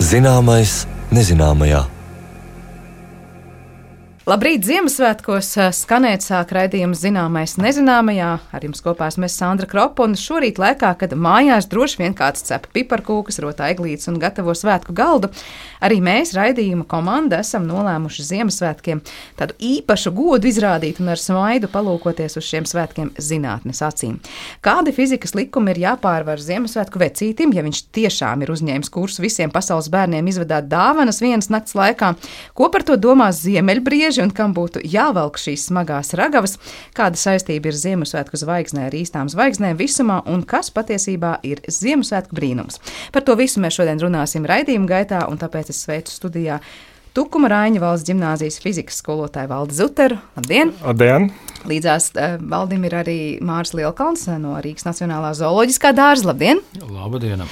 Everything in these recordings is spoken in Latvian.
Zināmais nezināmajā. Labrīt, Ziemassvētkos skanēt sāk raidījums Zināmais nezināmajā. Ar jums kopā esmu Sandra Kropa, un šorīt laikā, kad mājās droši vien kāds cep piparkūkas, rotā eglītes un gatavo svētku galdu, arī mēs, raidījuma komanda, esam nolēmuši Ziemassvētkiem tādu īpašu godu izrādīt un ar smaidu palūkoties uz šiem svētkiem zinātnes acīm. Kādi fizikas likumi ir jāpārvar Ziemassvētku vecītim, ja viņš tiešām ir uzņēmis kursu visiem pasaules bērniem izvedāt dāvanas vienas nakts laikā? Ko par to domā ziemeļbrieži un kam būtu jāvelk šīs smagās ragavas, kāda saistība ir Ziemassvētku zvaigznē ar īstām zvaigznēm visumā un kas patiesībā ir Ziemassvētku brīnums. Par to visu mēs šodien runāsim raidījuma gaitā, un tāpēc es sveicu studijā Tukuma Raiņa valsts ģimnāzijas fizikas skolotāju Valdi Zuteru. Labdien! Labdien! Līdzās Valdim ir arī Māris Lielkalns no Rīgas Nacionālā zooloģiskā dārza. Labdien! Labdien!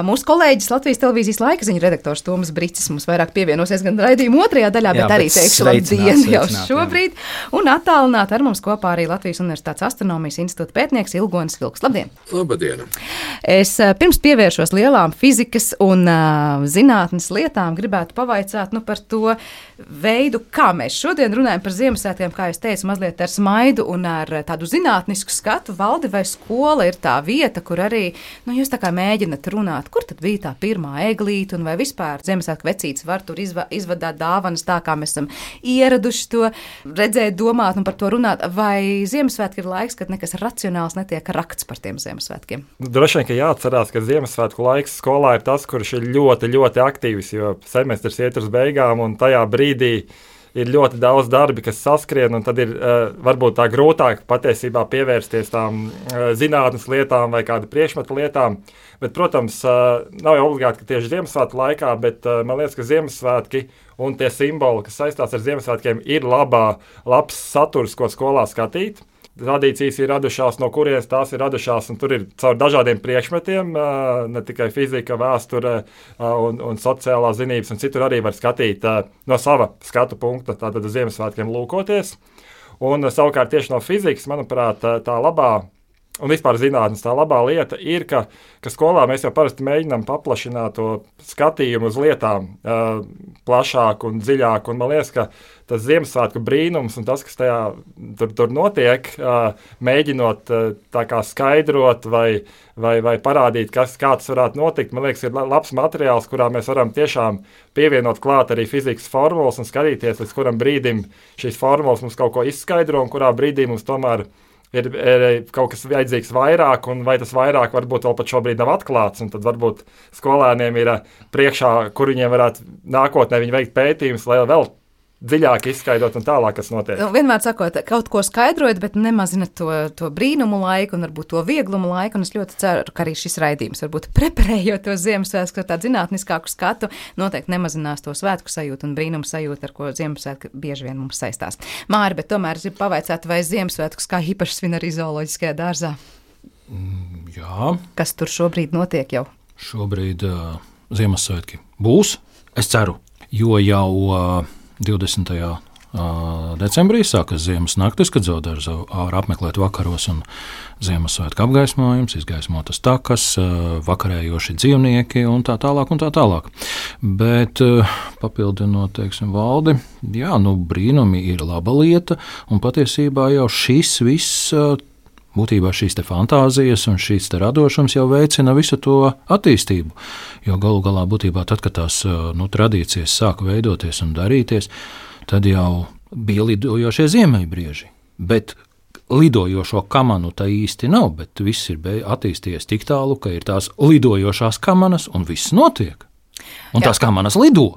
Mūsu kolēģis Latvijas televīzijas laikaziņu redaktors Tomas Bricis mums vairāk pievienosies gan raidījuma otrajā daļā, bet arī teikšu labdien jau šobrīd. Un attālināt ar mums kopā arī Latvijas Universitātes astronomijas institūta pētnieks Ilgonis Vilks. Labdien! Labdien! Es pirms pievēršos lielām fizikas un zinātnes lietām gribētu pavaicāt par to veidu, kā mēs šodien runājam par Ziemassvētkiem, kā es teicu, mazliet ar smaidu un ar tādu zinātnisku skatu. Valdi, vai skola ir tā vieta, kur arī, jūs tā kā mēģināt runāt, kur tad bija tā pirmā eglīte un vai vispār Ziemassvētku vecītis var tur izvadāt dāvanas tā, kā mēs esam ieraduši to redzēt, domāt un par to runāt, vai Ziemassvētki ir laiks, kad nekas racionāls netiek rakts par tiem Ziemassvētkiem? Droši vien, ka jāatcerās, ka Ziemassvētku laiks skolā ir tas, kurš ir ļoti, ļoti aktīvs, jo semestrs iet uz beigām, un tajā brīdī ir ļoti daudz darbi, kas saskrien, un tad ir varbūt tā grūtāk patiesībā pievērsties tām zinātnes lietām vai kādu priekšmetu lietām. Bet, protams, nav jau obligāti, ka tieši Ziemassvētku laikā, bet man liekas, ka Ziemassvētki un tie simboli, kas saistās ar Ziemassvētkiem, ir labs saturs, ko skolā skatīt. Tradīcijas ir radušās, no kurienes tās ir radušās, un tur ir caur dažādiem priekšmetiem, ne tikai fizika, vēsture un sociālā zinības, un citur arī var skatīt no sava skatu punkta, tātad uz Ziemassvētkiem lūkoties. Un savukārt tieši no fizikas, manuprāt, tā labā, un vispār zinātnes tā labā lieta ir, ka skolā mēs jau parasti mēģinām paplašināt to skatījumu uz lietām plašāk un dziļāk, un man liekas, ka tas Ziemassvētku brīnums un tas, kas tajā tur notiek, mēģinot tā kā skaidrot vai parādīt, kā tas varētu notikt, man liekas, ir labs materiāls, kurā mēs varam tiešām pievienot klāt arī fizikas formulas un skatīties, līdz kuram brīdim šīs formulas mums kaut ko izskaidro, un kurā brīdī mums tomēr ir kaut kas vajadzīgs vairāk, un vai tas vairāk varbūt vēl pat šobrīd nav atklāts, un tad varbūt skolēniem ir priekšā, kur viņiem varētu nākotnē viņi veikt pētījumus, lai vēl dziļāk izskaidrot un tālāk, kas notiek. Vienmēr sakot, kaut ko skaidrojot, bet nemazinot to brīnumu laiku un varbūt to vieglumu laiku, un es ļoti ceru, ka arī šis raidījums, varbūt preparējot to Ziemassvētku ar tādu zinātniskāku skatu, noteikti nemazinās to svētku sajūtu un brīnumu sajūtu, ar ko Ziemassvētku bieži vien mums saistās. Māri, bet tomēr es gribu pavaicāt, vai Ziemassvētkus kā īpaši svin arī zooloģiskajā dārzā? Jā. Kas tur šobrīd notiek jau? Šobrīd Ziemassvētki būs, es ceru, jo jau 20. decembrī sākas ziemas naktis, kad zoodārzu var apmeklēt vakaros un Ziemassvētku apgaismojums, izgaismotas takas, vakarējoši dzīvnieki un tā tālāk un tā tālāk. Bet papildinot, Valdi, brīnumi ir laba lieta, un patiesībā jau šis viss būtībā šīs fantāzijas un šīs radošums jau veicina visu to attīstību. Jo galu galā būtībā tad, kad tās tradīcijas sāka veidoties un darīties, tad jau bija lidojošie ziemeļbrieži. Bet lidojošo kamanu tā īsti nav, bet viss ir attīstījies tik tālu, ka ir tās lidojošās kamanas un viss notiek. Un tās kamanas lido.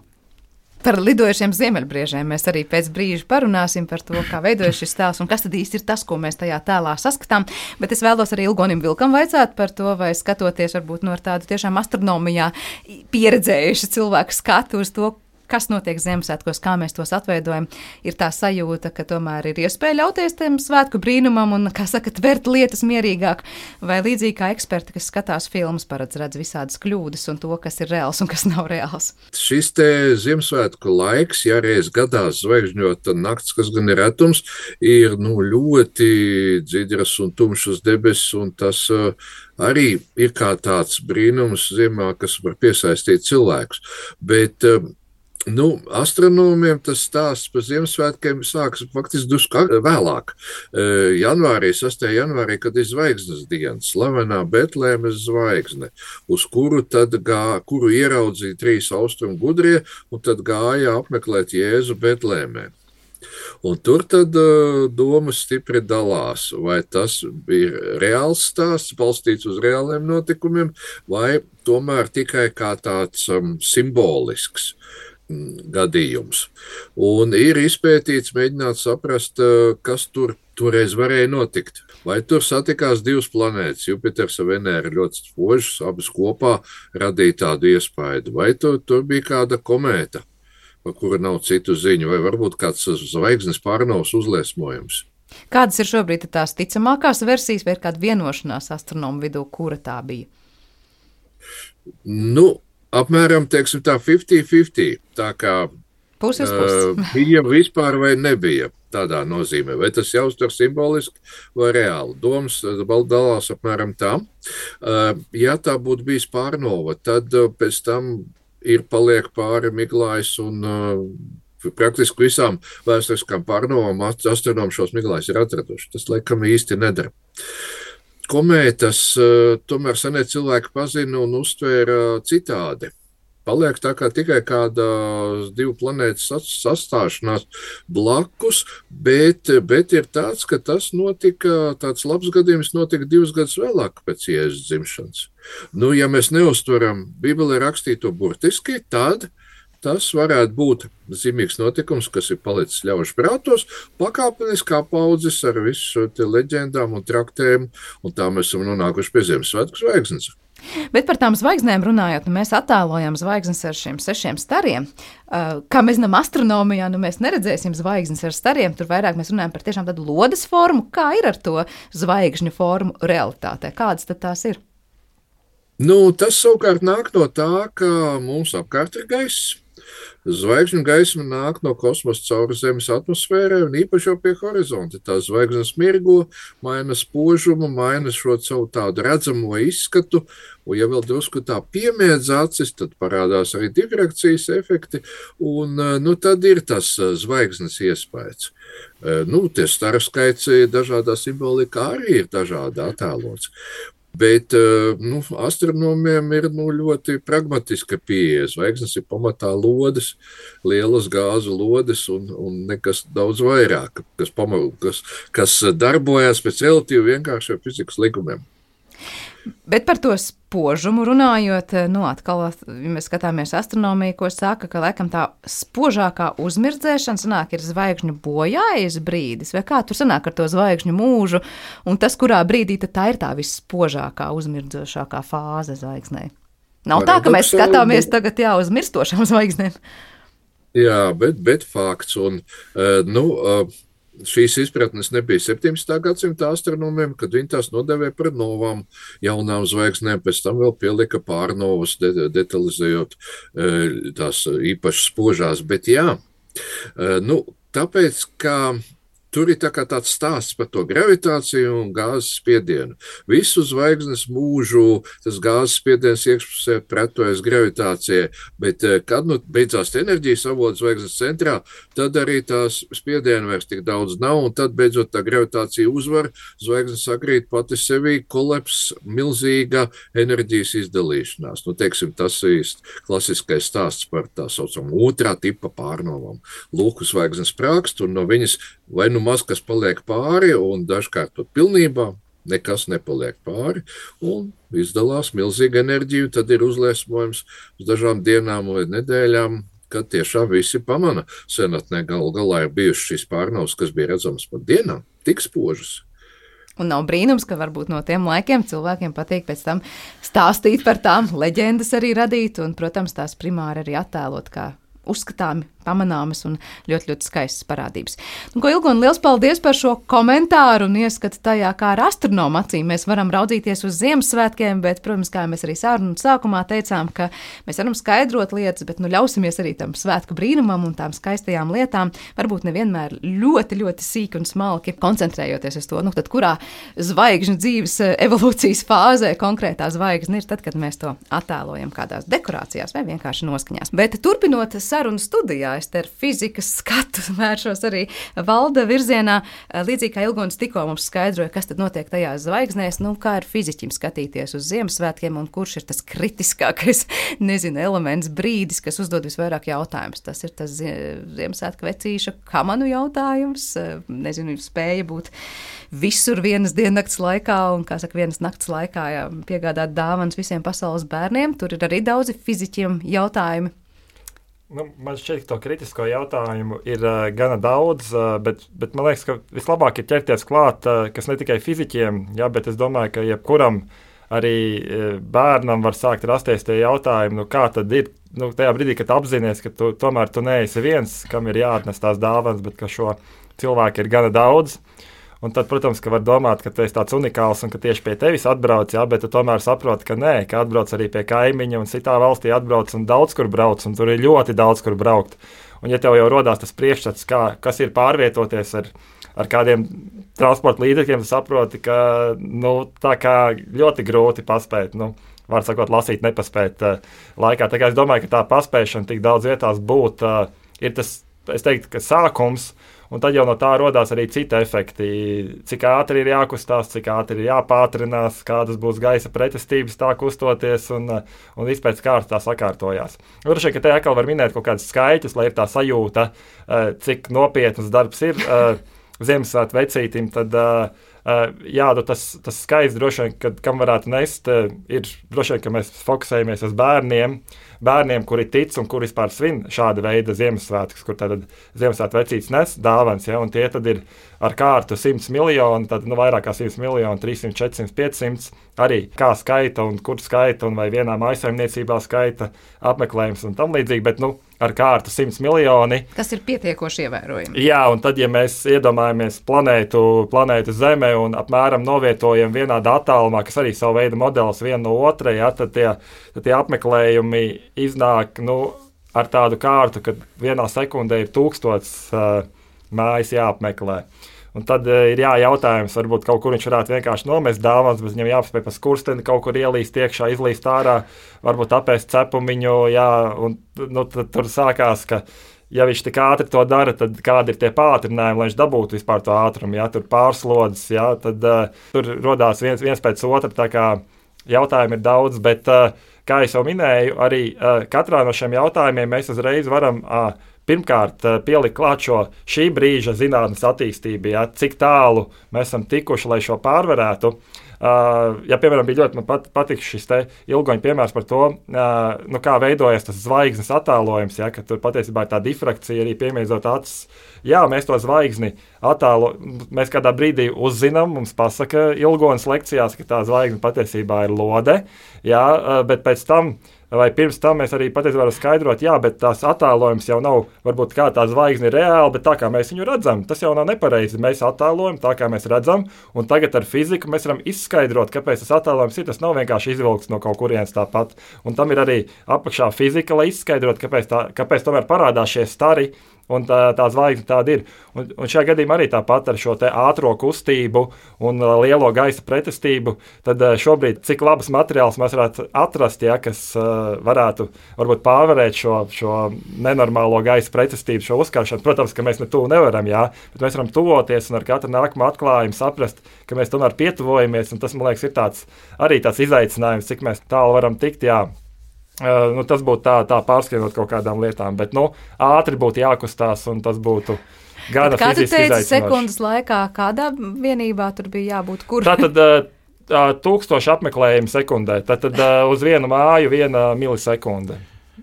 Par lidojošiem ziemeļbriežiem mēs arī pēc brīža parunāsim par to, kā veidojas šis tēls un kas tad īsti ir tas, ko mēs tajā tēlā saskatām. Bet es vēlos arī Ilgonim Vilkam vaicāt par to, vai skatoties varbūt no tādu tiešām astronomijā pieredzējuši cilvēku skatu uz to, kas notiek Ziemassvētkos, kā mēs tos atveidojam, ir tā sajūta, ka tomēr ir iespēja ļauties tiem svētku brīnumam un, kā saka, tvert lietas mierīgāk, vai līdzīgi kā eksperti, kas skatās filmas, redz visādas kļūdas un to, kas ir reāls un kas nav reāls. Šis te Ziemassvētku laiks, ja reiz gadās zvaigžņota nakts, kas gan ir retums, ir ļoti dzidras un tumšas debesis, un tas arī ir kā tāds brīnums ziemā, kas var piesaistīt cilvēkus. Bet astronomiem tas stāsts par Ziemassvētkiem sākas faktiski drusku vēlāk. Janvārī, 6. janvārī, kad ir zvaigznes diena, slavenā Betlēmes zvaigzne, uz kuru ieraudzīja 3 austrumu gudrie, un tad gāja apmeklēt Jēzu Betlēmē. Un tur tad domas stipri dalās, vai tas ir reāls stāsts, balstīts uz reāliem notikumiem, vai tomēr tikai kā tāds simbolisks gadījums. Un ir izpētīts, mēģināt saprast, kas toreiz varēja notikt. Vai tur satikās 2 planētas, Jupiters un Venēra ļoti spožas, abas kopā radīja tādu iespaidu, vai tur bija kāda komēta, par kuru nav citu ziņu, vai varbūt kāds zvaigznes pārnovas uzliesmojums. Kādas ir šobrīd tās ticamākās versijas, vai ir kāda vienošanās astronomu vidū, kura tā bija? Apmēram, teiksim tā, 50-50, tā kā puses. Bija vispār vai nebija tādā nozīmē, vai tas jāuztver simboliski vai reāli. Domas dalās apmēram tā. Ja tā būtu bijis pārnova, tad pēc tam paliek pāri Miglājs un praktiski visām vēsturiskām pārnovām astronomi šos Miglājus ir atraduši. Tas, laikam, īsti nedara. Komētas tomēr senie cilvēki pazina un uztvēra citādi. Paliek tā kā tikai kāda 2 planētas sastāšanās blakus, bet ir tāds, ka tas notika, tāds labs gadījums notika 2 gadus vēlāk pēc Jēzus dzimšanas. Ja mēs neuztveram Bībelē rakstīto burtiski, tad tas varētu būt zīmīgs notikums, kas ir palicis ļaužu prātos, pakāpeniski apaudzis ar visu šo leģendām un traktēm, un tā mēs esam nonākuši pie Ziemassvētku zvaigznes. Bet par tām zvaigznēm runājot, mēs attēlojam zvaigznes ar šiem 6 stariem. Kā mēs zinām, astronomijā mēs neredzēsim zvaigznes ar stariem, tur vairāk mēs runājam par tiešām tādu lodes formu. Kā ir ar to zvaigžņu formu realitātē? Kādas tad tās ir? Tas savukārt nāk no tā, ka mums apkārt ir gaiss. Zvaigžņu gaisma nāk no kosmosa cauri Zemes atmosfērai un īpaši jau pie horizonta. Tās zvaigznes mirgo, maina spožumu, maina šo savu tādu redzamo izskatu, un ja vēl drusku tā piemiedz acis, tad parādās arī difrakcijas efekti, un tad ir tas zvaigznes iespējas. Tie staru skaits dažādā simbolikā arī ir dažādi attēlots. Bet astronomiem ir kas pragmatiska pieeja. Zvaigznes ir pamatā lodes, lielas gāzu lodes un nekas daudz vairāk, kas darbojas pēc relatīvi vienkāršiem fizikas likumiem. Bet par to spožumu runājot, atkal, ja mēs skatāmies astronomiju, ko saka, ka laikam tā spožākā uzmirdzēšana sanāk ir zvaigžņu bojājas brīdis, vai kā tur sanāk ar to zvaigžņu mūžu, un tas, kurā brīdī tad tā ir tā visspožākā, uzmirdzēšākā fāze zvaigznei. Nav tā, ka mēs skatāmies tagad uz mirstošām zvaigznēm. Jā, bet fakts, un šīs izpratnes nebija 17. gadsimta astronomiem, kad viņi tās nodevēja par novām jaunām zvaigznēm, pēc tam vēl pielika pārnovas, detalizējot tās īpaši spožās. Bet jā, tāpēc, ka tur ir tāds stāsts par to gravitāciju un gāzes spiedienu. Visu zvaigznes mūžu tas gāzes spiediens iekšpusē pretojas gravitācijai, bet kad beidzās enerģijas avots zvaigznes centrā, tad arī tās spiedienu vairs tik daudz nav, un tad beidzot tā gravitācija uzvar, zvaigznes sakrīt pati sevī, kolaps, milzīga enerģijas izdalīšanās. Teiksim, tas ir klasiskais stāsts par tā saucamu otrā tipa pārnovām. Lūk, zvaigznes sprākst, un no viņas vai maz kas paliek pāri, un dažkārt pat pilnībā nekas nepaliek pāri, un izdalās milzīga enerģija, tad ir uzliesmojums uz dažām dienām vai nedēļām, kad tiešām visi pamana. Senatnē galā ir bijušas šīs pārnavas, kas bija redzamas pat dienām, tik spožas. Un nav brīnums, ka varbūt no tiem laikiem cilvēkiem patīk pēc tam stāstīt par tām, leģendas arī radīt, un, protams, tās primāri arī attēlot kā uzskatāmi, pamanāmas un ļoti, ļoti skaistas parādības. Ko Ilgona, liels paldies par šo komentāru un ieskatu tajā, kā ar astronomu acīm mēs varam raudzīties uz Ziemassvētkiem, bet, protams, kā mēs arī sarunu sākumā teicām, ka mēs varam skaidrot lietas, bet ļausimies arī tam svētku brīnumam un tām skaistajām lietām, varbūt nevienmēr ļoti, ļoti sīki un smalki koncentrējoties uz to, tad kurā zvaigžņu dzīves evolūcijas fāzē konkrētā zvaigzne ir tad, kad mēs to attēlojam kādās dekorācijās vai vienkārši noskaņās. Bet turpinot sarunu studijā, es te ar fizikas skatu vēršos arī Valda virzienā, līdzīgi kā Ilgonis tikko mums skaidroja, kas tad notiek tajās zvaigznēs, kā ir fiziķim skatīties uz Ziemassvētkiem un kurš ir tas kritiskākais, elements, brīdis, kas uzdod visvairāk jautājumus. Tas ir tas Ziemassvētku vecīša kamanu jautājums, spēja būt visur vienas diennakts laikā un, vienas nakts laikā piegādāt dāvanas visiem pasaules bērniem. Tur ir arī daudzi fiziķiem jautājumi. Man šķiet, ka to kritisko jautājumu ir gana daudz, bet man liekas, ka vislabāk ir ķerties klāt, kas ne tikai fiziķiem, bet es domāju, ka jebkuram arī bērnam var sākt rasties tie jautājumi, kā tad ir, tajā brīdī, kad apzinies, ka tomēr tu neesi viens, kam ir jāatnes tās dāvanas, bet ka šo cilvēku ir gana daudz. Un tad, protams, ka var domāt, ka tu esi tāds unikāls un ka tieši pie tevis atbrauc, bet tu tomēr saproti, ka nē, ka atbrauc arī pie kaimiņa un citā valstī atbrauc un daudz kur brauc, un tur ir ļoti daudz kur braukt. Un ja tev jau rodās tas priekšstats, kas ir pārvietoties ar kādiem transporta līdzekļiem, tu saproti, ka tā kā ļoti grūti paspēt, var sakot, lasīt nepaspēt laikā. Tā kā es domāju, ka tā paspēšana tik daudz vietās būt, ir tas, es teiktu, ka sākums. Un tad jau no tā rodās arī citi efekti. Cik ātri ir jākustās, cik ātri ir jāpātrinās, kādas būs gaisa pretestības tā kustoties un viss pēc kārtas tā sakārtojās. Droši vien, ka te atkal var minēt kaut kādus skaitļus, lai ir tā sajūta, cik nopietnas darbs ir Ziemassvētku vecītim, tad tas skaits droši vien, kam varētu nest, ir droši vien, ka mēs fokusējamies uz bērniem, kuri tic un kuri vispār svin šāda veida Ziemassvētkus, kur tad Ziemassvētku vecītis nes dāvanas, un tie tad ir ar kārtu 100 miljoni, tad vairāk kā 100 miljoni, 300, 400, 500, arī kā skaita un kur skaita un vai vienā mājsaimniecībā skaita apmeklējums un tam līdzīgi, bet ar kārtu 100 miljoni. Tas ir pietiekoši ievērojami. Jā, un tad, ja mēs iedomājamies planētu Zeme un apmēram novietojam vienādā attālumā, kas arī savu veidu modelis viena no otrai, tad tie apmeklējumi iznāk ar tādu kārtu, ka vienā sekundē ir 1000 mājas jāapmeklē. Un tad ir jautājums, varbūt kaut kur viņš varētu vienkārši nomest dāvanas, bet viņam jāpaspēj pa skursteni kaut kur ielīst iekšā, izlīst ārā, varbūt apēst cepumiņu, un tad tur sākās, ka ja viņš tik ātri to dara, tad kādi ir tie pātrinājumi, lai viņš dabūtu vispār to ātrumu, tur pārslodzes, tad tur rodās viens pēc otra, tā kā jautājumi ir daudz, bet kā es jau minēju, arī katrā no šiem jautājumiem mēs uzreiz varam pirmkārt pielikt klāt šī brīža zinātnes attīstību, cik tālu mēs esam tikuši, lai šo pārvarētu. Piemēram, bija ļoti man patīk šis te Ilgoņa piemērs par to, kā veidojas tas zvaigznes attēlojums, ka tur patiesībā ir tā difrakcija arī piemiedzot acis. Jā, mēs to zvaigzni mēs kādā brīdī uzzinām, mums pasaka Ilgonas lekcijās, ka tā zvaigzne patiesībā ir lode, bet pēc tam vai pirms tam mēs arī patiesībā varam skaidrot, bet tās attēlojums jau nav, varbūt kā tā zvaigzne ir reāla, bet tā kā mēs viņu redzam, tas jau nav nepareizi. Mēs attēlojam tā, kā mēs redzam, un tagad ar fiziku mēs varam izskaidrot, kāpēc tas attēlojums ir. Tas nav vienkārši izvilkts no kaut kurienes tāpat. Un tam ir arī apakšā fizika, lai izskaidrot, kāpēc tomēr parādās šie stari. Un tā zvaigzne tāda ir. Un šajā gadījumā arī tāpat ar šo ātro kustību un lielo gaisa pretestību, tad šobrīd cik labas materiāls mēs varētu atrast, kas varētu varbūt pārvarēt šo nenormālo gaisa pretestību, šo uzkaršanu. Protams, ka mēs tuvu nevaram, bet mēs varam tuvoties un ar katru nākamo atklājumu saprast, ka mēs tomēr pietuvojamies, un tas, man liekas, ir arī tāds izaicinājums, cik mēs tālu varam tikt, tas būtu tā pārskrienot kaut kādām lietām, bet ātri būtu jākustās, un tas būtu gana fiziski izaicinoši. Sekundes laikā kādā vienībā tur bija jābūt? Kur? Tātad 1000 apmeklējumu sekundē, tad uz vienu māju 1 milisekunde.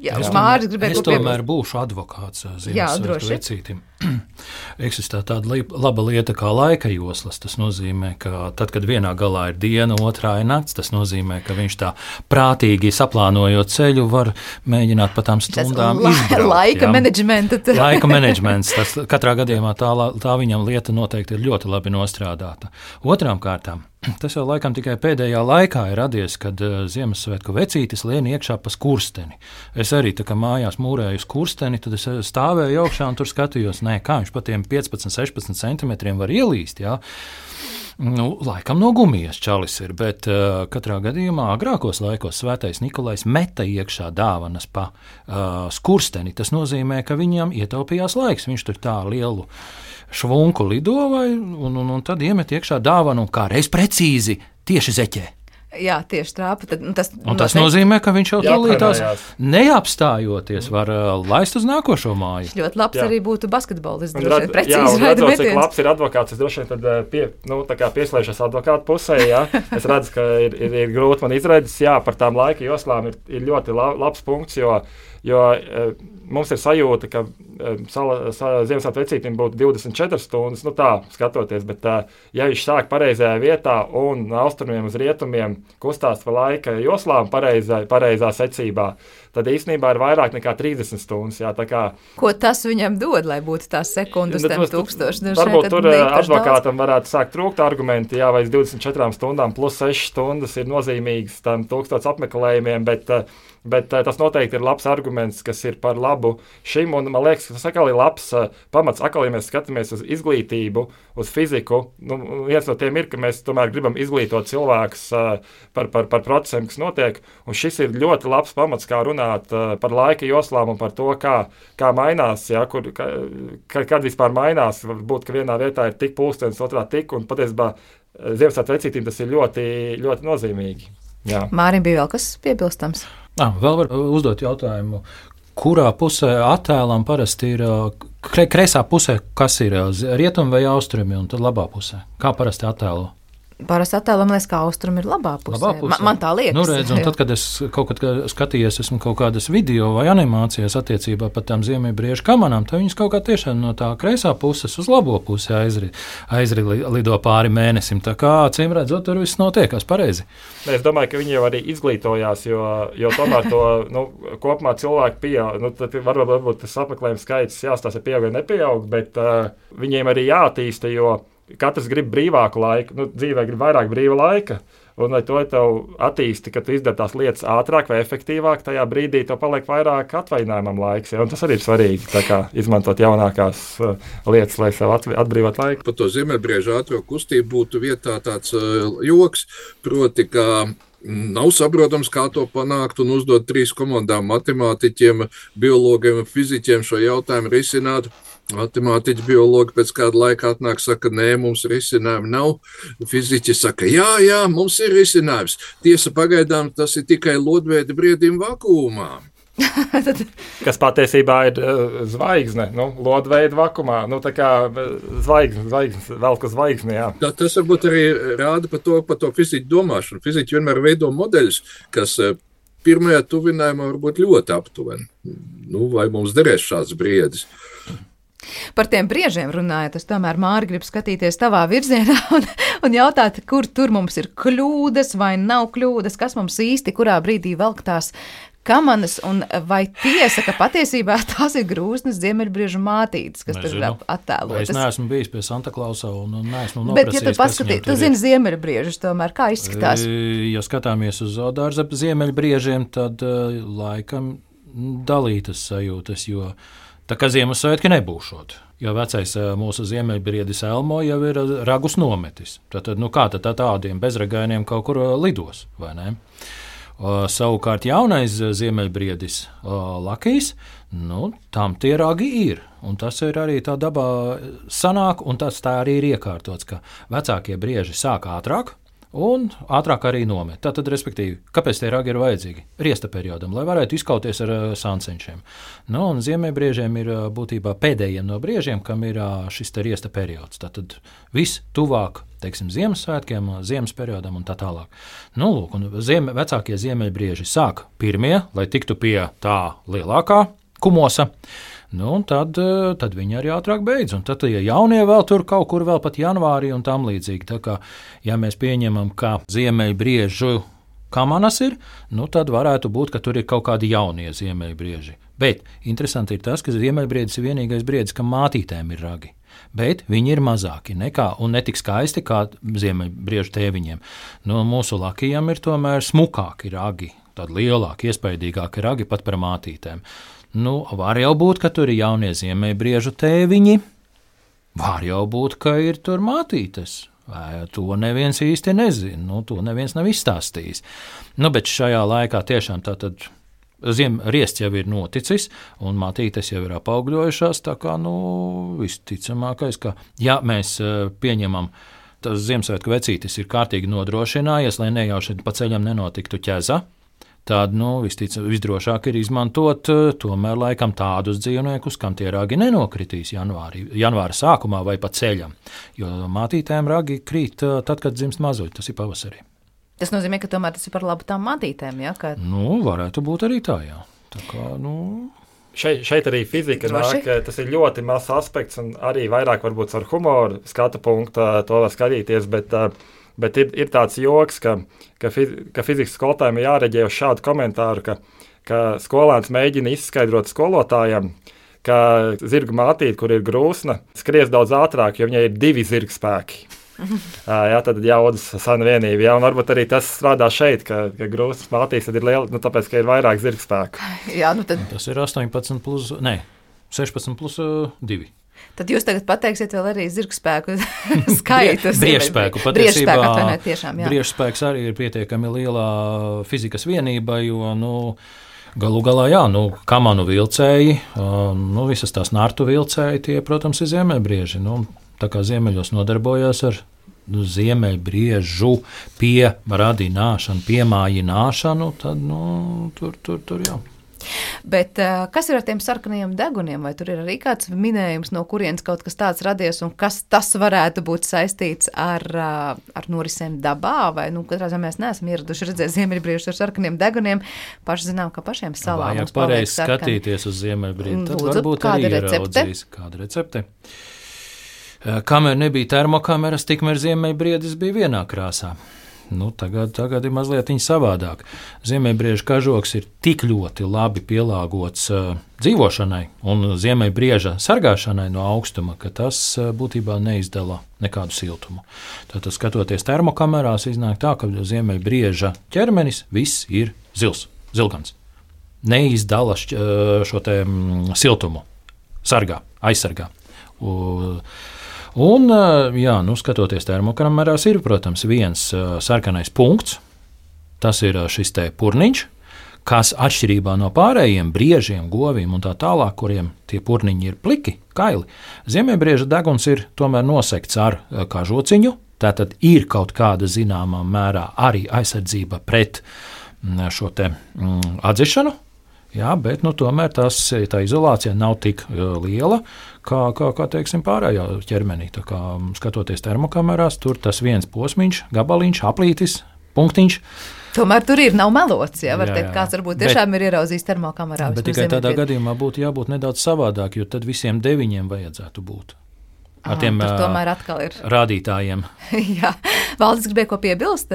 Jā, Māris gribēja es tomēr būšu advokāts Ziemassvētku vecītim. Eksistē tāda laba lieta kā laika joslas. Tas nozīmē, ka tad, kad vienā galā ir diena, otrā ir nakts, tas nozīmē, ka viņš tā prātīgi saplānojot ceļu var mēģināt pa tām stundām izbraukt. Laika menedžments. Tas katrā gadījumā tā viņam lieta noteikti ir ļoti labi nostrādāta. Otrām kārtām, tas jau laikam tikai pēdējā laikā ir radies, kad Ziemassvētku vecītis lien iekšā pa skursteni. Es arī tā kā mājās mūrēju skursteni, tad es stāvēju augšā un tur skatījos, kā viņš pa tiem 15-16 centimetriem var ielīst, jā. Laikam no gumijas čalis ir, bet katrā gadījumā agrākos laikos Svētais Nikolais meta iekšā dāvanas pa skursteni. Tas nozīmē, ka viņam ietaupījās laiks. Viņš tur tā lielu švunku lido un tad iemet iekšā dāvanu kā reiz precīzi tieši zeķē. Jā, tieši trāpa. Tas nozīmē, ka viņš jau tūlītās neapstājoties var laist uz nākošo māju. Ļoti labs arī būtu basketbolists. Redzot, cik labs ir advokāts, es droši vien tad pieslēšos advokātu pusē. Jā. Es redzu, ka ir grūti man izredzes. Jā, par tām laika joslām ir ļoti labs punkts, jo mums ir sajūta, ka Ziemassvētku vecītim būtu 24 stundas, tā skatoties, bet ja viņš sāk pareizajā vietā un no austrumiem uz rietumiem kustās pa laika joslām pareizā secībā, tad īstenībā ir vairāk nekā 30 stundas. Jā, ko tas viņam dod, lai būtu tās sekundes tam 1000? Varbūt tur advokātam varētu sākt trūkt argumenti, jā, vai 24 stundām plus 6 stundas ir nozīmīgas tam 1000 apmeklējumiem, bet tas noteikti ir labs arguments, kas ir par labu šim, un man liekas, tas atkal ir labs pamats, atkal, ja mēs skatāmies uz izglītību, uz fiziku, viens no tiem ir, ka mēs tomēr gribam izglītot cilvēkus par procesiem, kas notiek, un šis ir ļoti labs pamats, kā runāt par laika joslām un par to, kā mainās, jā, kad vispār mainās, varbūt, ka vienā vietā ir tik pulkstenis, otrā tik, un patiesībā Ziemassvētku vecītīm tas ir ļoti, ļoti nozīmīgi. Jā. Mārim bija vēl kas piebilstams? Vēl var uzdot jautājumu, kurā pusē attēlam parasti ir kreisā pusē, kas ir rietumi vai austrumi, un tad labā pusē? Kā parasti attēlo? Parasti attēlam, liekas, ka austrumi ir labā pusē. Man tā liekas. Redz, un tad, kad es kaut kad skatījies, esmu kaut kādas video vai animācijas attiecībā par tām ziemeļbriežu kamanām, tad viņas kaut kā tiešām no tā kreisā puses uz labo pusi aizrido pāri mēnesim. Tā kā, acīm redzot, tur viss notiekās pareizi. Es domāju, ka viņi jau arī izglītojās, jo tomēr to kopumā cilvēki pieaug. Tad varbūt tas apmeklējums skaits jāstāsta pieaug vai nepieaug, bet viņiem arī jāattīsta, jo katrs grib brīvāku laiku, dzīvē grib vairāk brīva laika, un lai to tev attīsti, ka tu izdari tās lietas ātrāk vai efektīvāk, tajā brīdī tev paliek vairāk atvaļinājumam laiks, ja? Un tas arī ir svarīgi, tā kā izmantot jaunākās lietas, lai sev atbrīvot laiku. Par to ziemeļbriežu ātro kustību būtu vietā tāds joks, proti, ka nav saprotams, kā to panākt un uzdot 3 komandām matemātiķiem, biologiem un fiziķiem šo jautājumu risināt. Matemātiķi, biologi pēc kāda laika atnāk, saka, nē, mums risinājumu nav. Fiziķi saka, jā, mums ir risinājums. Tiesa, pagaidām tas ir tikai lodveida briedim vakuumā. Kas patiesībā ir zvaigzne, lodveida vakumā, tā kā zvaigznes, velk uz zvaigzni, jā. Tas varbūt arī rāda par to fiziķu domāšanu. Fiziķi vienmēr veido modeļus, kas pirmajā tuvinājumā varbūt ļoti aptuveni. Vai mums derēs šāds briedis? Par tiem briežiem runājot, es tomēr, Māri, gribu skatīties tavā virzienā un jautāt, kur tur mums ir kļūdas vai nav kļūdas, kas mums īsti kurā brīdī velk tās kamanas, un vai tiesa, ka patiesībā tās ir grūznas ziemeļbriežu mātītes, kas tur ir attēlotas? Es neesmu bijis pie Santa Klausa un neesmu noprasījis. Bet, ja tu paskatīji, tu zini ziemeļbriežus tomēr, kā izskatās? Ja skatāmies uz zoodārza ziemeļbriežiem, tad laikam dalītas sajūtas, jo tā kā Ziemassvētki nebūšot, jo vecais mūsu ziemeļbriedis Elmo jau ir ragus nometis. Tad kā tad tādiem bezragainiem kaut kur lidos, vai ne? Savukārt jaunais ziemeļbriedis Lakijs, tam tie ragi ir. Un tas ir arī tā dabā sanāk, un tas tā arī ir iekārtots, ka vecākie brieži sāk ātrāk, un ātrāk arī nomet. Tātad, respektīvi, kāpēc tie ragi ir vajadzīgi? Riesta periodam, lai varētu izkauties ar sāncenšiem. Nu, un ziemeļbriežiem ir būtībā pēdējiem no briežiem, kam ir šis te riesta periods. Tātad viss tuvāk, teiksim, Ziemassvētkiem, ziemas periodam un tā tālāk. Nu, lūk, un vecākie ziemeļbrieži sāk pirmie, lai tiktu pie tā lielākā kumosa. Nu, tad viņi arī ātrāk beidz. Un tad, ja jaunie vēl tur kaut kur vēl pat janvārī un tam līdzīgi, tā kā, ja mēs pieņemam, ka ziemeļbriežu kamanas ir, nu, tad varētu būt, ka tur ir kaut kādi jaunie ziemeļbrieži. Bet interesanti ir tas, ka ziemeļbriedis ir vienīgais briedis, kam mātītēm ir ragi. Bet viņi ir mazāki nekā un netik skaisti kā ziemeļbriežu tēviņiem. Nu, mūsu lakijam ir tomēr smukāki ragi, tādi lielāki, iespaidīgāki ragi pat par mātītēm. Nu, var jau būt, ka tur ir jaunie ziemeļbriežu tēviņi, var jau būt, ka ir tur mātītes. To neviens īsti nezina, nu, to neviens nav izstāstījis. Nu, bet šajā laikā tiešām tātad riests jau ir noticis, un mātītes jau ir apaugļojušās, tā kā, nu, visticamākais, ka, ja mēs pieņemam, tas Ziemassvētku vecītis ir kārtīgi nodrošinājies, lai nejauši pa ceļam nenotiktu ķeza, tad, nu, visdrošāk ir izmantot tomēr laikam tādus dzīvniekus, kam tie ragi nenokritīs janvāra sākumā vai pa ceļam. Jo mātītēm ragi krīt tad, kad dzimst mazuļi, tas ir pavasarī. Tas nozīmē, ka tomēr tas ir par labu tām mātītēm, ja? Ka... Nu, varētu būt arī tā, jā. Tā kā, nu... Šeit arī fizika nāk, tas ir ļoti mazs aspekts un arī vairāk varbūt ar humoru skatu punktu to var skatīties, bet ir tāds joks, ka fizikas skolotājiem ir jāreģē uz šādu komentāru, ka skolēns mēģina izskaidrot skolotājiem, ka zirga mātīte, kur ir grūsna, skries daudz ātrāk, jo viņai ir 2 zirgspēki. Jā, tad jaudas sana vienība. Jā, un varbūt arī tas strādā šeit, ka grūstas mātītes ir liela, nu, tāpēc, ka ir vairāk zirgspēku. Jā, nu tad... Tas ir 16 plus 2. Tad jūs tagad pateiksiet vēl arī zirgspēku skaitus. Briežspēku. Patiesībā briežspēks arī ir pietiekami lielā fizikas vienība, jo, nu, galu galā, jā, nu, kamanu vilcēji, nu, visas tās nārtu vilcēji, tie, protams, ir ziemeļbrieži. Nu, tā kā ziemeļos nodarbojās ar ziemeļbriežu pieradināšanu, piemājināšanu, tad, nu, tur jā. Bet kas ir ar tiem sarkanajiem deguniem? Vai tur ir arī kāds minējums, no kurienes kaut kas tāds radies, un kas tas varētu būt saistīts ar norisēm dabā? Vai, nu, katrā ziņā mēs neesam ieraduši redzēt ziemeļbriežus ar sarkaniem deguniem. Paši zinām, ka pašiem salā mums paliek sarkani. Vajag pareizi skatīties uz ziemeļbriežu. Tad varbūt arī ieraudzīs kāda recepte. Kamēr nebija termokameras, tikmēr ziemeļbriedis bija vienā krāsā. Nu, tagad ir mazliet savādāk. Ziemeļbrieža kažoks ir tik ļoti labi pielāgots dzīvošanai un ziemeļbrieža sargāšanai no augstuma, ka tas būtībā neizdala nekādu siltumu. Tātad, skatoties termokamerās, iznāk tā, ka ziemeļbrieža ķermenis viss ir zilgans. Neizdala šo te siltumu, aizsargā. Un, jā, nu, skatoties termokamerās, ir, protams, viens sarkanais punkts. Tas ir šis te purniņš, kas atšķirībā no pārējiem briežiem, govīm un tā tālāk, kuriem tie purniņi ir pliki, kaili. Ziemeļbrieža deguns ir tomēr nosekts ar kažociņu, tātad ir kaut kāda zināmā mērā arī aizsardzība pret šo te atdzišanu. Jā, bet nu, tomēr tā izolācija nav tik liela, kā teiksim, pārējā ķermenī. Tā kā, skatoties termokamerās, tur tas viens posmiņš, gabaliņš, aplītis, punktiņš. Tomēr tur ir, nav melots, jā, var teikt, kāds varbūt tiešām ir ieraudzījis termokamerā. Bet tikai tādā gadījumā būtu jābūt nedaudz savādāk, jo tad visiem 9 vajadzētu būt. Ar tiem rādītājiem. Jā, Valdis gribēja ko piebilst,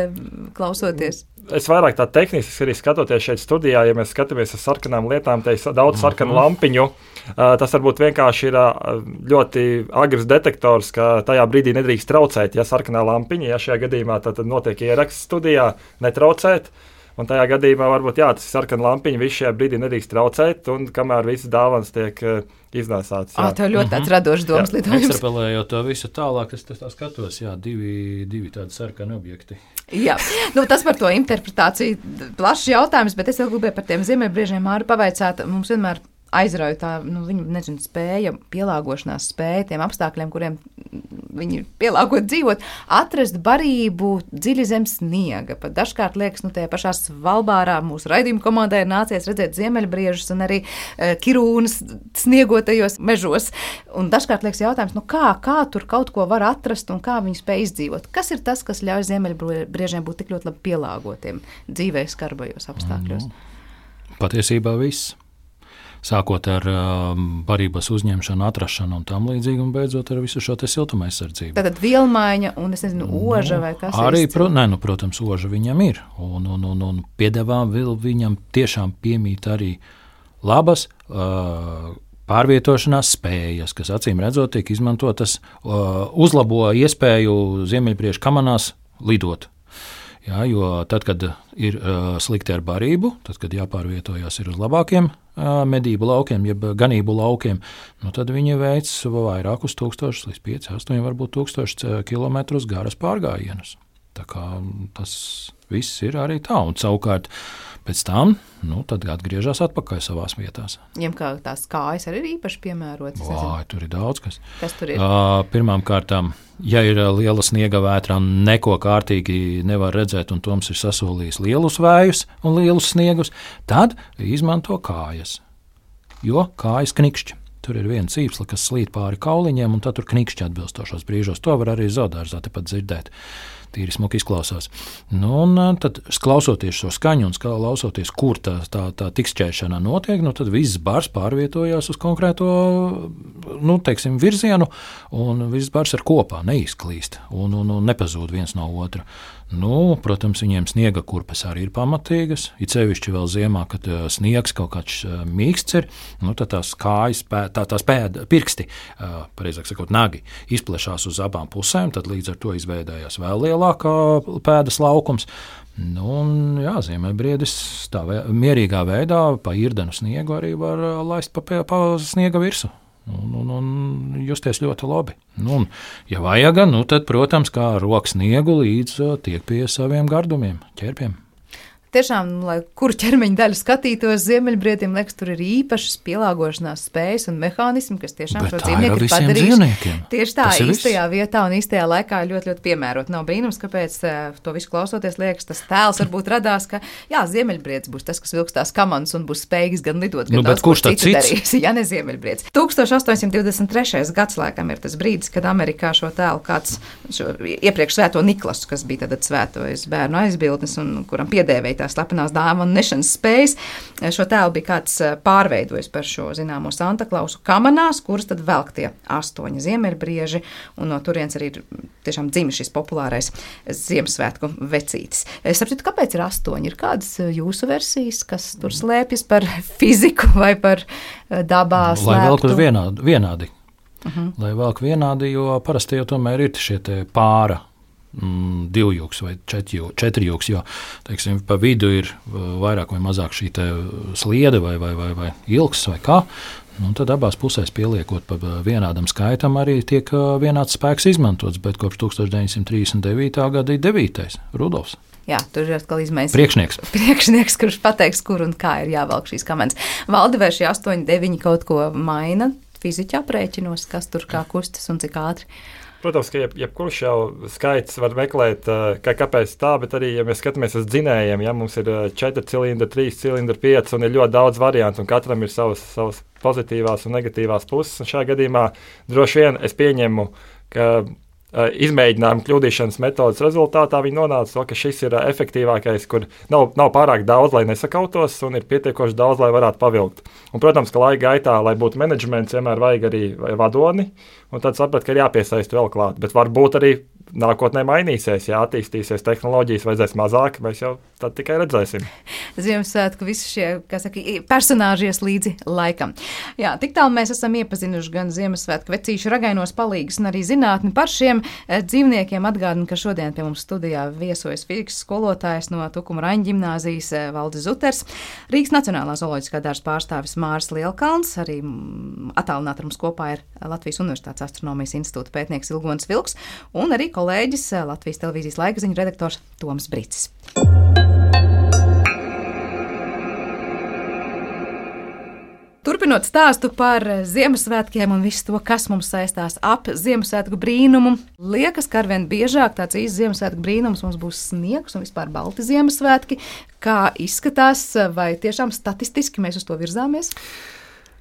klausoties. Es vairāk tā tehniski arī skatoties šeit studijā, ja mēs skatāmies uz sarkanām lietām, te ir daudz sarkanu lampiņu. Tas varbūt vienkārši ir ļoti agrs detektors, ka tajā brīdī nedrīkst traucēt, ja sarkanā lampiņa, ja šajā gadījumā tad notiek ieraksts studijā, netraucēt. Un tajā gadījumā varbūt jā, tas ir sarkana lampiņa, viss šajā brīdī nedrīkst traucēt, un kamēr visas dāvanas tiek iznēsātas. Tev ļoti tāds radošs domas lidojums. Ekstrapolējot to visu tālāk, es tā skatos, jā, divi tādi sarkani objekti. Jā, nu tas par to interpretāciju plašs jautājums, bet es vēl gribēju par tiem ziemeļbriežiem Māri pavaicāt. Mums vienmēr aizrauja tā, nu, viņu, spēja, pielāgošanās spēja tiem apstākļiem, kuriem viņi pielāgot dzīvot, atrast barību dziļi zem sniega. Pat dažkārt liekas, tajā pašā Svalbārā mūsu raidījuma komandai ir nācies redzēt ziemeļbriežus un arī kirūnas sniegotajos mežos. Un dažkārt liekas jautājums, kā tur kaut ko var atrast un kā viņi spēj izdzīvot. Kas ir tas, kas ļauj ziemeļbriežiem būt tik ļoti labi pielāgotiem dzīvē skarbajos apstākļos? Patiesībā viss. Sākot ar barības uzņemšanu, atrašanu un tam līdzīgi, un beidzot ar visu šo te siltuma aizsardzību. Tātad vielmaiņa un, es nezinu, oža vai kas arī, protams, oža viņam ir. Un piedevām vēl viņam tiešām piemīt arī labas pārvietošanās spējas, kas acīm redzot tiek izmantotas, uzlabo iespēju ziemeļbriežu kamanās lidot. Jā, jo tad, kad ir slikti ar barību, tad, kad jāpārvietojas ir uz labākiem medību laukiem, jeb ganību laukiem, tad viņi veic vairākus tūkstošus, līdz 5, 8, varbūt 1000 kilometrus garas pārgājienus. Tā kā tas viss ir arī tā, un savukārt pēc tam, tad atgriežas atpakaļ savās vietās. Ņem kā tās kājas arī ir īpaši piemērotas. Tur ir daudz kas. Kas tur ir? Pirmām kārtām, ja ir liela sniega vētra un neko kārtīgi nevar redzēt, un Toms ir sasolījis lielus vējus un lielus sniegus, tad izmanto kājas, jo kājas knikšķi. Tur ir viena cīpsla, kas slīd pāri kauliņiem, un tad tur knikšķi atbilstošos brīžos. To var arī zoodārzā tepat dzirdēt. Tīri smuki izklausās. Un tad, klausoties šo skaņu un klausoties, kur tā tikšķēšana notiek, tad viss bars pārvietojās uz konkrēto virzienu, un viss bars ir kopā, neizklīst un nepazūd viens no otra. Protams, viņiem sniega kurpes arī ir pamatīgas, it sevišķi vēl ziemā, kad sniegs kaut kāds mīksts ir, tad tās kājas, tās pirksti, pareizāk sakot, nagi, izplešās uz abām pusēm, tad līdz ar to izveidējās vēl lielākā pēdas laukums. Ziemeļbriedis tā mierīgā veidā pa irdenu sniegu arī var laist pa sniega virsu. Un justies ļoti labi. Ja vajag, tad, protams, kā rokas sniegu līdz tiek pie saviem gardumiem, ķerpiem. Tiešām, lai kuru ķermeņa daļu skatītos, ziemeļbriedim, liekas, tur ir īpašas pielāgošanās spējas un mehānismi, kas tiešām šo dzīvnieku ir padarījuši. Tieši tā, īstajā vietā un īstajā laikā ļoti, ļoti piemērot. Nav brīnums, kāpēc to visu klausoties liekas, tas tēls varbūt radās, ka ziemeļbriedis būs tas, kas vilks tās kamanas un būs spējīgs gan lidot, gan daudz ko citu darīs. Ja ne ziemeļbriedis. 1823. gads laikam ir tas brīdis, kad Amerikā šo tēlu kāds iepriekš svēto Niklasu, kas bija tad svētojas bērnu aizbildnis un kuram piedēvēja tās slepenās dāvanu nešanas spējas. Šo tēlu bija kāds pārveidojis par šo zināmo Santa Klausu kamanās, kuras tad velk tie 8 ziemeļbrieži, un no turienes arī tiešām dzima šis populārais Ziemassvētku vecītis. Saprotu, kāpēc ir 8? Ir kādas jūsu versijas, kas tur slēpjas par fiziku vai par dabā slēptu? Lai velk vienādi. Lai velk vienādi, jo parasti jau tomēr ir šie te pāra. 2 jūks vai 4 jūks, jo, teiksim, pa vidu ir vairāk vai mazāk šī te sliede vai ilgs vai kā, tad abās pusēs pieliekot pa vienādam skaitam arī tiek vienāds spēks izmantots, bet kopš 1939. gada ir 9. Rudolfs. Jā, tur ir atkal izmaiņas. Priekšnieks, kurš pateiks, kur un kā ir jāvelk šīs kamanas. Valdi, vai šie 8, 9 kaut ko maina fiziķi aprēķinos, kas tur kā kustas un cik ātri? Protams, ka jebkurš jau skaits var meklēt, kāpēc tā, bet arī, ja mēs skatāmies uz dzinējiem, mums ir 4 cilindri, 3 cilindri, 5 un ir ļoti daudz variantu, un katram ir savas pozitīvās un negatīvās puses. Un šajā gadījumā droši vien es pieņemu, ka izmēģinājuma kļūdīšanas metodas rezultātā viņi nonāca to, ka šis ir efektīvākais, kur nav pārāk daudz, lai nesakautos, un ir pietiekoši daudz, lai varētu pavilkt. Un, protams, ka laika gaitā, lai būtu menedžments, vienmēr vajag arī vadoni, un tad saprat, ka ir jāpiesaist vēl klāt. Bet varbūt arī nākotnē mainīsies, attīstīsies tehnoloģijas, vajadzēs mazāk, mēs jau tad tikai redzēsim. Ziemassvētku visi šie, personāžies līdzi laikam. Jā, tik tālu mēs esam iepazinuši gan Ziemassvētku vecīšu ragainos palīgus un arī zinātni par šiem dzīvniekiem. Atgādinu, ka šodien pie mums studijā viesojas fizikas skolotājs no Tukuma Raņa ģimnāzijas Valdis Zuters, Rīgas Nacionālā zooloģiskā dārza pārstāvis Māris Lielkalns, arī attālināti ar mums kopā ir Latvijas Universitātes astronomijas institūta pētnieks Ilgonis Vilks un arī kolēģis Latvijas televīzijas laikziņu redaktors Toms Bricis. Turpinot stāstu par Ziemassvētkiem un visu to, kas mums saistās ap Ziemassvētku brīnumu, liekas, ka arvien biežāk tāds īsts Ziemassvētku brīnums mums būs sniegs un vispār balti Ziemassvētki. Kā izskatās, vai tiešām statistiski mēs uz to virzāmies?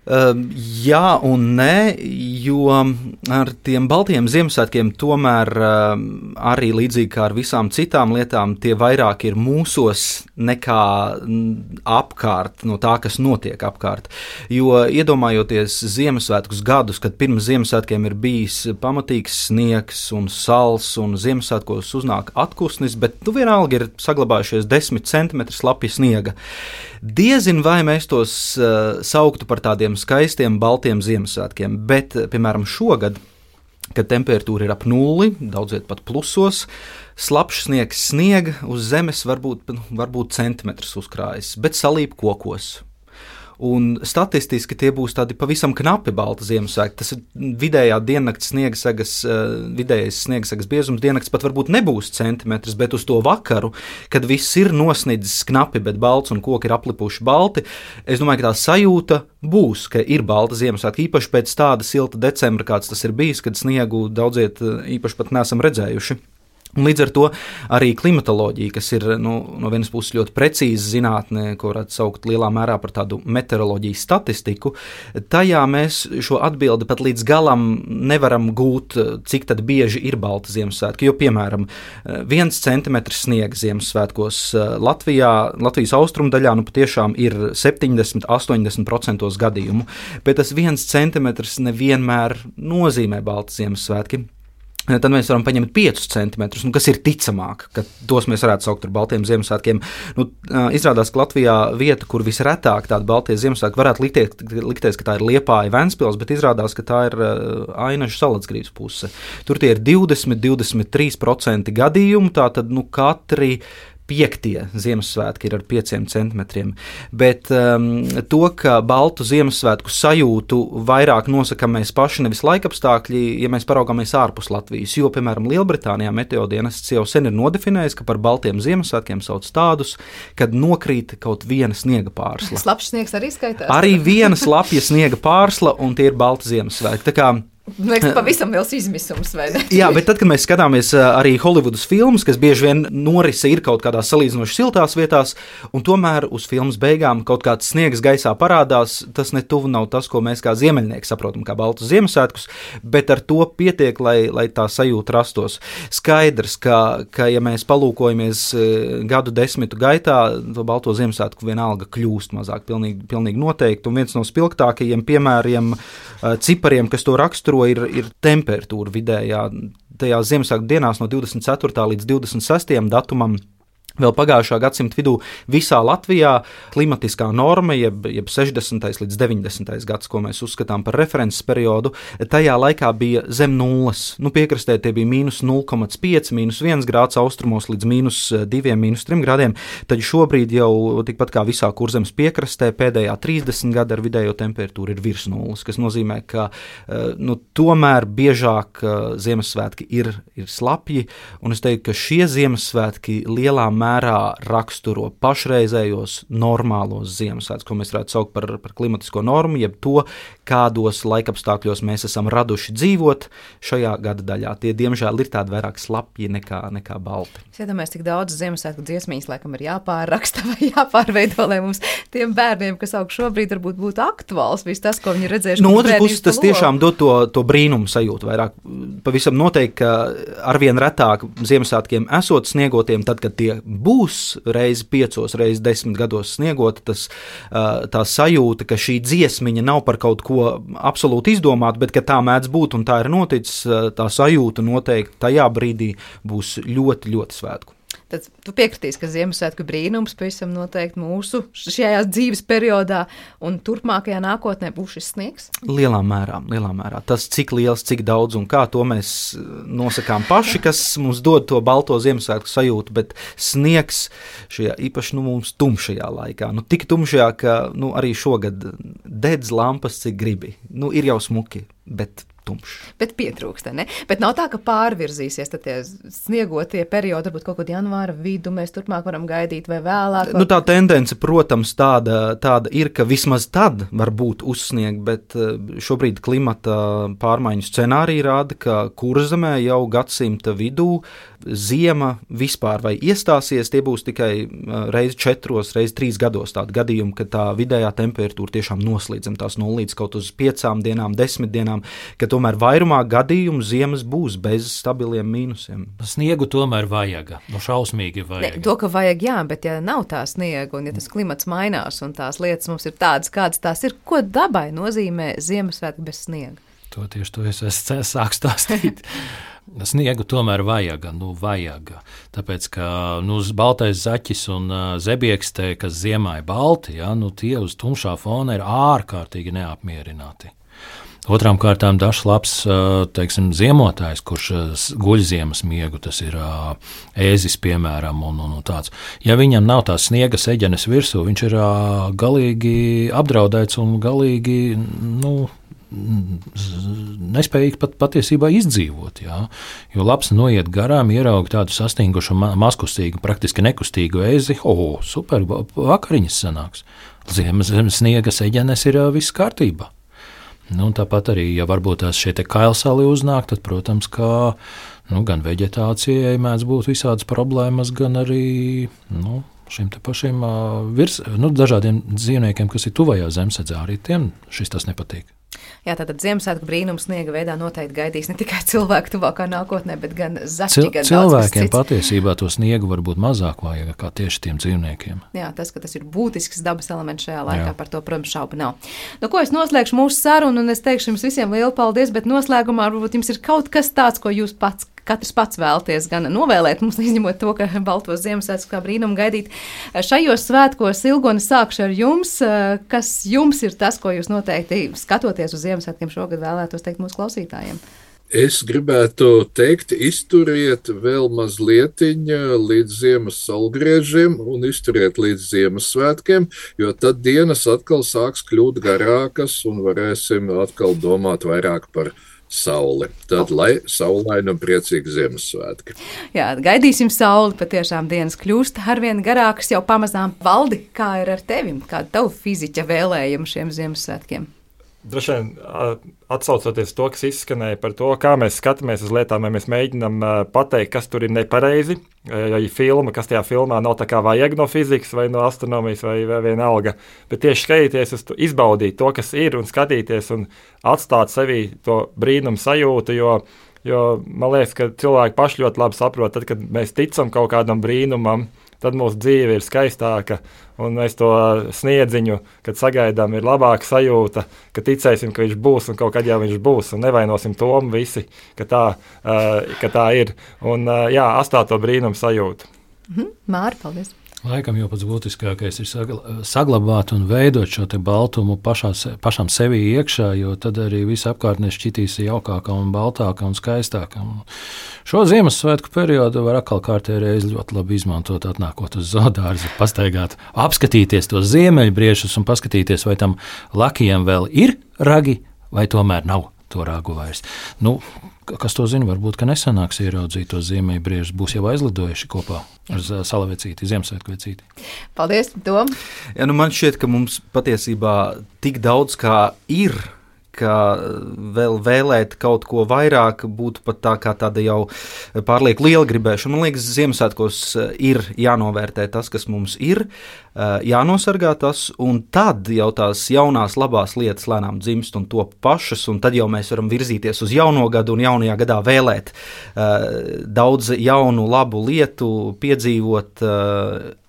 Jā un nē, jo ar tiem baltiem Ziemassvētkiem tomēr arī līdzīgi kā ar visām citām lietām, tie vairāk ir mūsos nekā apkārt, no tā, kas notiek apkārt. Jo iedomājoties Ziemassvētkus gadus, kad pirms Ziemassvētkiem ir bijis pamatīgs sniegs un sals un Ziemassvētkos uznāk atkusnis, bet vienalga ir saglabājušies 10 centimetri slapja sniega. Diezin vai mēs tos sauktu par tādiem skaistiem baltiem Ziemassvētkiem, bet, piemēram, šogad, kad temperatūra ir ap nulli, daudziet pat plusos, slapjš sniegs sniega uz zemes varbūt centimetrus uzkrājas, bet salīp kokos. Un statistiski tie būs tādi pavisam knapi balti Ziemassvētki. Tas ir vidējā diennakts vidējais sniegssagas biezums diennakts pat varbūt nebūs centimetrs, bet uz to vakaru, kad viss ir nosnidzis knapi, bet balts un koki ir aplipuši balti, es domāju, ka tā sajūta būs, ka ir balta Ziemassvētki, īpaši pēc tāda silta decembra, kāds tas ir bijis, kad sniegu daudziet īpaši pat neesam redzējuši. Un līdz ar to arī klimatoloģija, kas ir no vienas puses ļoti precīza zinātne, ko varētu saukt lielā mērā par tādu meteoroloģijas statistiku, tajā mēs šo atbildi pat līdz galam nevaram gūt, cik tad bieži ir balti Ziemassvētki. Jo, piemēram, 1 centimetrs sniega Ziemassvētkos Latvijas austrumdaļā patiešām ir 70–80% gadījumu, bet tas 1 centimetrs nevienmēr nozīmē balti Ziemassvētki. Tad mēs varam paņemt 5 centimetrus, kas ir ticamāk, ka tos mēs varētu saukt par baltiem Ziemassvētkiem. Izrādās, ka Latvijā vieta, kur visretāk tādi baltie Ziemassvētki, varētu likties, ka tā ir Liepāja Ventspils, bet izrādās, ka tā ir Ainažu Salacgrības puse. Tur tie ir 20–23% gadījumu, tātad katri 5. Ziemassvētki ir ar 5 centimetriem, bet to, ka baltu Ziemassvētku sajūtu vairāk nosakām mēs paši, nevis laikapstākļi, ja mēs paraugāmies ārpus Latvijas, jo, piemēram, Lielbritānijā meteodienests jau sen ir nodefinējis, ka par baltiem Ziemassvētkiem sauc tādus, kad nokrīt kaut viena sniega pārsla. Slapjš sniegs arī skaitās? Arī viena slapja sniega pārsla, un tie ir balti Ziemassvētki. Tā kā liekas, pavisam liels izmisums, vai ne? Jā, bet tad, kad mēs skatāmies arī Holivudas filmas, kas bieži vien norise ir kaut kādās salīdzinoši siltās vietās, un tomēr uz filmas beigām kaut kāds sniegs gaisā parādās, tas netuvu nav tas, ko mēs kā ziemeļnieki saprotam kā baltus Ziemassvētkus, bet ar to pietiek, lai tā sajūta rastos. Skaidrs, ka ja mēs palūkojamies gadu desmitu gaitā, to balto Ziemassvētku vienalga kļūst mazāk, pilnīgi noteikti, un viens no spilgtākajiem piemēriem, cipariem, kas to raksturo, ir temperatūra vidējā. Tajās Ziemassvētku dienās no 24. līdz 26. datumam vēl pagājušā gadsimta vidū visā Latvijā klimatiskā norma, jeb 60. līdz 90. gads, ko mēs uzskatām par references periodu, tajā laikā bija zem nulles. Piekrastē tie bija -0,5, -1 grāds austrumos līdz -2, -3 grādiem, tad šobrīd jau tikpat kā visā Kurzemes piekrastē pēdējā 30 gada ar vidējo temperatūru ir virs nulles, kas nozīmē, ka tomēr biežāk Ziemassvētki ir slapji, un es teiktu, ka šie Ziemassvētki lielā mērā raksturo pašreizējos normālos Ziemassvētkus, ko mēs varētu saukt par klimatisko normu, jeb to, kādos laikapstākļos mēs esam raduši dzīvot šajā gada daļā. Tie, diemžēl, ir tādi vairāk slapji nekā balti. Es iedomājos, cik daudz Ziemassvētku dziesmīs laikam ir jāpārraksta vai jāpārveido, lai mums tiem bērniem, kas aug šobrīd, varbūt būtu aktuāls viss tas, ko viņi ir redzējuši. No otras puses, tas tiešām dod to brīnumu sajūtu vairāk. Pavisam noteikti, ka arvien retāk Ziemassvētkiem esot sniegotiem, tad, kad tie būs reizi 5, reizi 10 gados sniegota, tā sajūta, ka šī dziesmiņa nav par kaut ko absolūti izdomāta, bet ka tā mēdz būt un tā ir noticis, tā sajūta noteikti tajā brīdī būs ļoti, ļoti svētku. Tad tu piekritīsi, ka Ziemassvētku brīnums pavisam noteikti mūsu šajā dzīves periodā un turpmākajā nākotnē būs šis sniegs? Lielā mērā. Tas, cik liels, cik daudz un kā, to mēs nosakām paši, kas mums dod to balto Ziemassvētku sajūtu, bet sniegs šajā īpaši mums tumšajā laikā. Tik tumšajā, ka arī šogad dedz lampas, cik gribi. Ir jau smuki, bet tumšs. Bet pietrūkst, ne? Bet nav tā, ka pārvirzīsies tie sniegotie periodi, varbūt kaut kādu janvāra vidu mēs turpmāk varam gaidīt vai vēlāk. Nu, tā tendence, protams, tāda ir, ka vismaz tad var būt uzsniegt, bet šobrīd klimata pārmaiņu scenāriji rāda, ka Kurzemē jau gadsimta vidū ziema vispār vai iestāsies, tie būs tikai reiz 4, reiz 3 gados tādi gadījumi, ka tā vidējā temperatūra tiešām noslīdzam tās 0 līdz kaut uz 5 dienām, 10 dienām, ka tomēr vairumā gadījumu ziemas būs bez stabiliem mīnusiem. Sniegu tomēr vajaga, šausmīgi vajag. Ne, to, ka vajag, jā, bet ja nav tā sniega un ja tas klimats mainās un tās lietas mums ir tādas, kādas tās ir, ko dabai nozīmē Ziemassvētki bez sniega? Tieši to es sāku stāstīt. Sniegu tomēr vajag. Tāpēc, ka baltais zaķis un zebiekstē, kas ziemā ir balti, tie uz tumšā fona ir ārkārtīgi neapmierināti. Otrām kārtām dažs labs, ziemotājs, kurš guļ ziemas miegu, tas ir ēzis, piemēram, un tāds. Ja viņam nav tās sniega seģenes virsū, viņš ir galīgi apdraudēts un galīgi, nespējīgi patiesībā izdzīvot. Jā. Jo labs noiet garām, ierauga tādu sastingušu, maskustīgu, praktiski nekustīgu ēzi. Super, vakariņas sanāks. Ziemas sniega seģenes ir viss kārtībā. Tāpat arī, ja varbūt tās šie kailsali uznāk, tad, protams, ka gan veģetācijai mēdz būt visādas problēmas, gan arī šiem te pašiem dažādiem dzīvniekiem, kas ir tuvajā zemsedzē, arī tiem šis tas nepatīk. Jā, tātad Ziemassvētku brīnums sniega veidā noteikti gaidīs ne tikai cilvēku tuvākā nākotnē, bet gan zaķi, gan cilvēkiem patiesībā to sniegu var būt mazāk vajag kā tieši tiem dzīvniekiem. Jā, tas, ka tas ir būtisks dabas elements šajā laikā, par to, protams, šaubu nav. Ko es noslēgšu mūsu sarunu, un es teikšu jums visiem lielu paldies, bet noslēgumā varbūt jums ir kaut kas tāds, ko jūs katrs pats vēlties gan novēlēt, mums izņemot to, ka baltos Ziemassvētkus kā brīnumu gaidīt. Šajos svētkos, Ilgone, sākšu ar jums. Kas jums ir tas, ko jūs noteikti skatoties uz Ziemassvētkiem šogad vēlētos teikt mūsu klausītājiem? Es gribētu teikt, izturiet vēl mazlietiņa līdz ziemas saulgriežiem un izturiet līdz Ziemassvētkiem, jo tad dienas atkal sāks kļūt garākas un varēsim atkal domāt vairāk par sauli. Tad, lai saulaini un priecīgi Ziemassvētki. Jā, gaidīsim sauli, patiešām dienas kļūst arvien garākas jau pamazām. Valdi, kā ir ar tevim? Kāda tavu fiziķa vēlējuma šiem Ziemassvētkiem? Droši vien atsaucoties to, kas izskanēja par to, kā mēs skatāmies uz lietām, ja mēs mēģinām pateikt, kas tur ir nepareizi, ja ir filma, kas tajā filmā nav tā kā vajag no fizikas vai no astronomijas vai vienalga, bet tieši skatīties uz to, izbaudīt to, kas ir un skatīties un atstāt sevī to brīnumu sajūtu, jo man liekas, ka cilvēki paši ļoti labi saprot, tad, kad mēs ticam kaut kādam brīnumam, tad mūsu dzīve ir skaistāka, un mēs to sniedziņu, kad sagaidām, ir labāka sajūta, ka ticēsim, ka viņš būs, un kaut kad jau viņš būs, un nevainosim tomu visi, ka tā ir. Un atstāt to brīnumu sajūtu. Māri, paldies! Laikam jau pats būtiskākais ir saglabāt un veidot šo te baltumu pašam sevī iekšā, jo tad arī viss apkārtnē šķitīs jaukākā un baltākā un skaistākā. Šo Ziemassvētku periodu var atkal kārtējo reizi ļoti labi izmantot, atnākot uz zoodārzu, pastaigāt, apskatīties tos ziemeļbriešus un paskatīties, vai tam lakijam vēl ir ragi, vai tomēr nav to ragu vairs. Kas to zina, varbūt, ka nesanāks ieraudzīt tos ziemeļbriežus, būs jau aizlidojuši kopā ar salavecīti, Ziemassvētku vecīti. Paldies, Tom! Jā, man šķiet, ka mums patiesībā tik daudz kā ir, ka vēl vēlēt kaut ko vairāk būtu pat tā kā tāda jau pārlieku liela gribēšana. Man liekas, Ziemassvētkos ir jānovērtē tas, kas mums ir, jānosargā tas, un tad jau tās jaunās labās lietas lēnām dzimst un top pašas, un tad jau mēs varam virzīties uz jauno gadu un jaunajā gadā vēlēt daudz jaunu labu lietu, piedzīvot,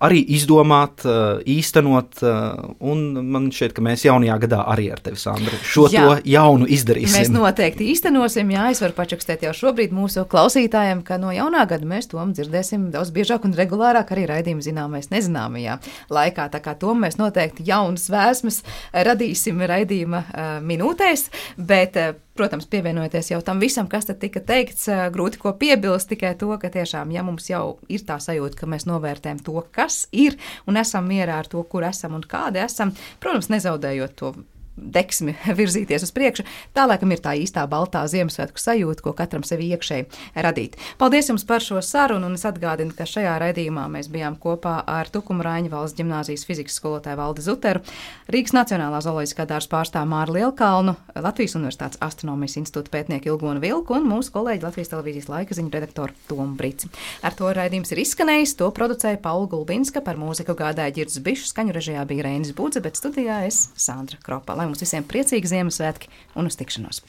arī izdomāt, īstenot, un man šķiet, ka mēs jaunajā gadā arī ar tevi, Sandra, to jaunu izdarīsim. Mēs noteikti īstenosim, es varu pačakstēt jau šobrīd mūsu klausītājiem, ka no jaunā gada mēs to dzirdēsim daudz biežāk un regulārāk arī raidījumu zināmais nezināmajā laikā. Tā kā to mēs noteikti jaunas vēsmas radīsim raidījuma minūtēs, bet, protams, pievienojoties jau tam visam, kas tad tika teikts, grūti ko piebilst, tikai to, ka tiešām, ja mums jau ir tā sajūta, ka mēs novērtējam to, kas ir, un esam mierā ar to, kur esam un kādi esam, protams, nezaudējot to deksmi virzīties uz priekšu. Tā laikam ir tā īstā baltā Ziemassvētku sajūta, ko katram sevi iekšēji radīt. Paldies jums par šo sarunu, un es atgādinu, ka šajā raidījumā mēs bijām kopā ar Tukuma Raiņa valsts ģimnāzijas fizikas skolotāju Valdi Zuteru, Rīgas Nacionālā zooloģiskā dārza pārstāvu Māru Lielkalnu, Latvijas Universitātes astronomijas institūta pētnieku Ilgonu Vilku un mūsu kolēģi Latvijas televīzijas laika ziņu redaktoru Tomu Brici. Ar to raidījums ir izskanējis, to producēja Paula Gulbinska, par mūziku gādāja Ģirds Bišs, skaņu režijā bija Reinis Budze, bet studijā es Sandra Kropa. Lai mums visiem priecīgi Ziemassvētki un uz tikšanos!